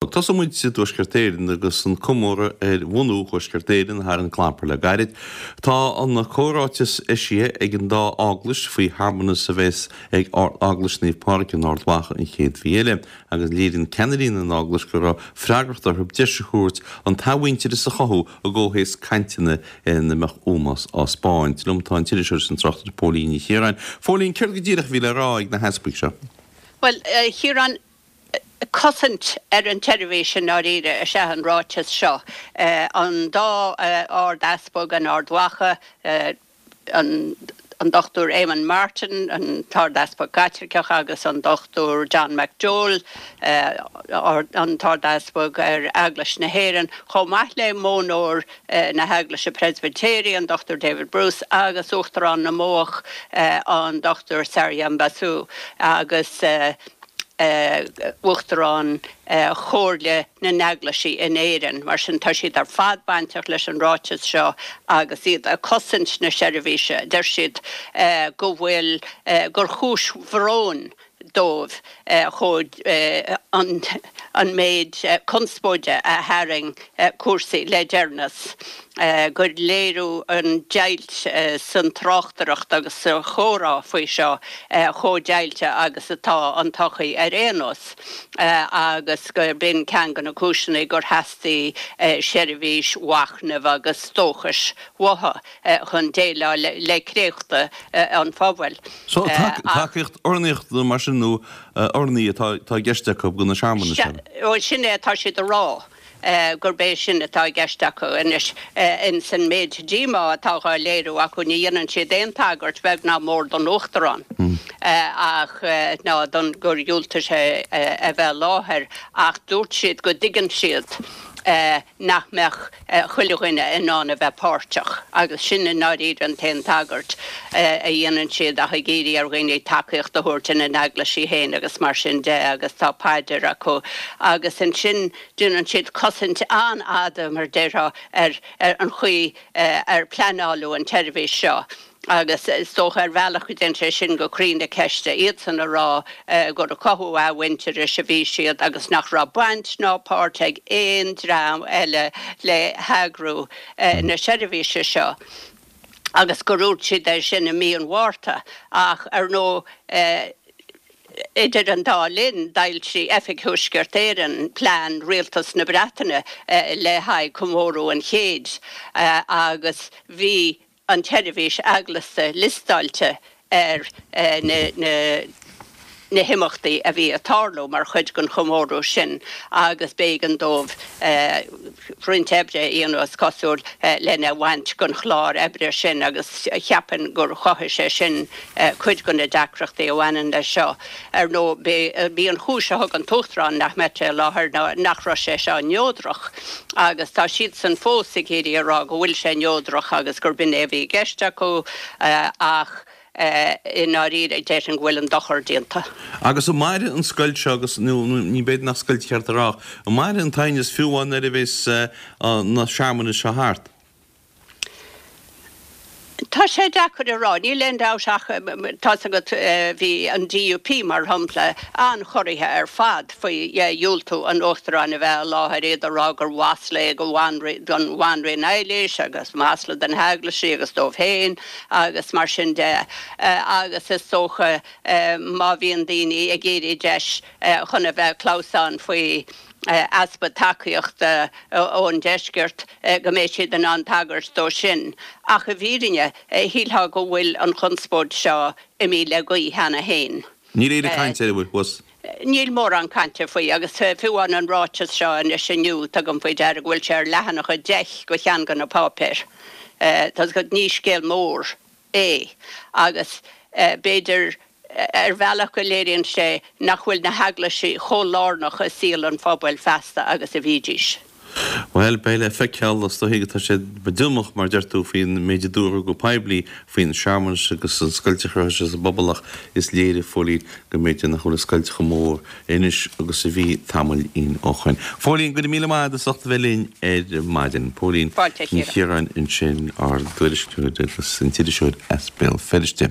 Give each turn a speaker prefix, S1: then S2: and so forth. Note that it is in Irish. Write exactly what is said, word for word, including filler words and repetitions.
S1: Tosóidh muid i dTuaisceart Éireann agus an comóradh ar bhunú Thuaisceart Éireann thar an clampar le gairid. Tá an comhráiteas eisithe ag an dá eaglais faoi shearmanas a bheas ag Ard-Eaglais Naomh Pádraig in Ard Mhacha an chéad mhí eile agus léiríonn ceannairí na n-eaglais go raibh freagracht orthu deis a thabhairt an t-athmhuintearas a chothú i gcomhthéacs cainteanna ina mbeadh ómós á spáint. Liom tá an t-iriseoir is an tráchtaire Póilín Ní Chiaráin. Phóilín, céard go díreach a bhí le rá ag na heaspaig seo?
S2: Bhuel, a Chiaráin, cosaint ar an tseirbhís i ndáiríre is ea an ráiteas seo. An dá Ard-Easpag in Ard Mhacha, an Dochtúir Eamon Martin, an tArd-Easpag Caitliceach agus an Dochtúir John McDowell, an tArd-Easpag ar Eaglais na hÉireann, chomh maith le Modhnóir na hEaglaise Preispitéirí, an Dochtúir David Bruce, agus Uachtarán na Modhach, an Dochtúir Saryam Basu, agus. Uachtarán Chomhairle na nEaglaisí in Éirinn. Mar sin, tá siad ar fad bainteach leis an ráiteas seo agus iad ag cosaint na seirbhíse. Deir siad go bhfuil, gur chúis bhróin dóibh chomh an méid conspóide a tharraing cúrsaí le deireanas. gur léiriú an deighilt san tráchtaireacht agus sa chomhrá faoi seo chomh deighilte agus atá an tsochaí ar aon nós agus gur b'in ceann de na cúiseanna gur theastaigh seirbhís mhachnaimh agus dóchais uathu chun déileáil le créachta an phobail.
S1: So tacaíocht urnaíochta mar sin nó urnaí atá i gceist acu do na searmanais sin?
S2: Sin é atá siad a rá. gurb é sin atá i gceist acu anois. Ins an méid díomá atá dhá léiriú acu, ní dhéanann siad aon tagairt, beag ná mór, don Uachtarán ach ná don gur dhiúltaigh sé a bheith i láthair ach dúirt siad go dtuigeann siad nach mbeadh chuile dhuine in ann a bheith páirteach agus sin i ndáiríre an t-aon tagairt a dhéanann siad ach ag iarraidh ar dhaoine tacaíocht a thabhairt ina n-eaglaisí féin agus mar sin de agus tá paidir acu agus ansin Déanann siad cosaint an-fhada, mar déarfá, ar an chaoi ar pleanáladh an tseirbhís seo agus is dócha ar bhealach go dtéann sé sin go croí na ceiste, iadsan a rá gur ag cothú athmhuintearais a bhí siad agus nach raibh baint ná páirt ag aon dream eile le heagrú na seirbhíse seo agus gur dhúirt siad é sin i mí an Mhárta ach ar ndóigh Idir an dá linn, d'fhoilsigh Oifig Thuaisceart Éireann plean Rialtas na Breataine le haghaidh comóradh an chéid agus bhí an tseirbhís eaglasta liostáilte ar na na himeachtaí a bhí ag tarlú mar chuid den chomóradh sin agus b'éigean dóibh roinnt oibre a dhéanamh, is cosúil, lena bhaint den chlár oibre sin agus cheapfainn gur chothaigh sé sin cuid de na deacrachtaí a bhaineann leis seo. Ar ndóigh, b'í an chúis a thug an tUachtarán nach mbeadh sé i láthair ná nach raibh sé seo neodrach agus tá siadsan fós ag iarraidh a rá go bhfuil sé neodrach agus gur b'in é a bhí i gceist acu ach i ndáiríre déarfainn go bhfuil an dochar déanta.
S1: Agus an mairfidh an scoilt seo agus, nó ní b'fhéidir nach scoilt cheart a rá ach an mairfidh an t-aighneas fiú amháin nuair a bheas na searmanais seo thart?
S2: Tá sé deacair a rá. Níl aon dabht ach, tá's agat, bhí an DUP, mar shampla, an-chorraithe ar fad faoi dhiúltú an Uachtaráin a bheith i láthair, iad ag rá gur mhasla é don Bhanríon Eilís agus masla do na heaglaisí agus dóibh féin agus mar sin de. Agus is dócha má bhíonn daoine ag iarraidh deis chun a bheith ag clamhsán faoi easpa tacaíochta ón deisceart, go mbeidh siad in ann tagairt dó sin. Ach i bhfírinne, shílfeá go bhfuil an chonspóid seo imithe le gaoth cheana féin.
S1: Níl aon chaint air, an bhfuil, thuas?
S2: Níl mórán cainte faoi, agus fiú amháin an ráiteas seo anois inniu, tugaim faoi deara go bhfuil sé ar leathanach a deich de cheann de na páipéir. Tá's agat, ní scéal mór é agus b'fhéidir ar bhealach go léiríonn sé nach bhfuil na heaglaisí chomh lárnach i saol an phobail feasta agus a bhídís.
S1: Bhuel, beidh le feiceáil, is dóigh tá siad díomách, mar deir tú, faoin méid a dúradh go poiblí faoin searmanas agus an scoilt a chruthaigh sé sa bpobal ach is léir, a Phóilín, go mb'fhéidir nach bhfuil an scoilt chomh mór anois agus a bhí tamaillín ó shoin. Phóilín, go raibh míle maith agat as ucht a bheith linn ar maidin. Póilín
S2: Fáilte, a
S1: Ní
S2: Chiara.
S1: Chiaráin ansin, ár dtuairisceoir agus an t-iriseoir as Béal Feirste.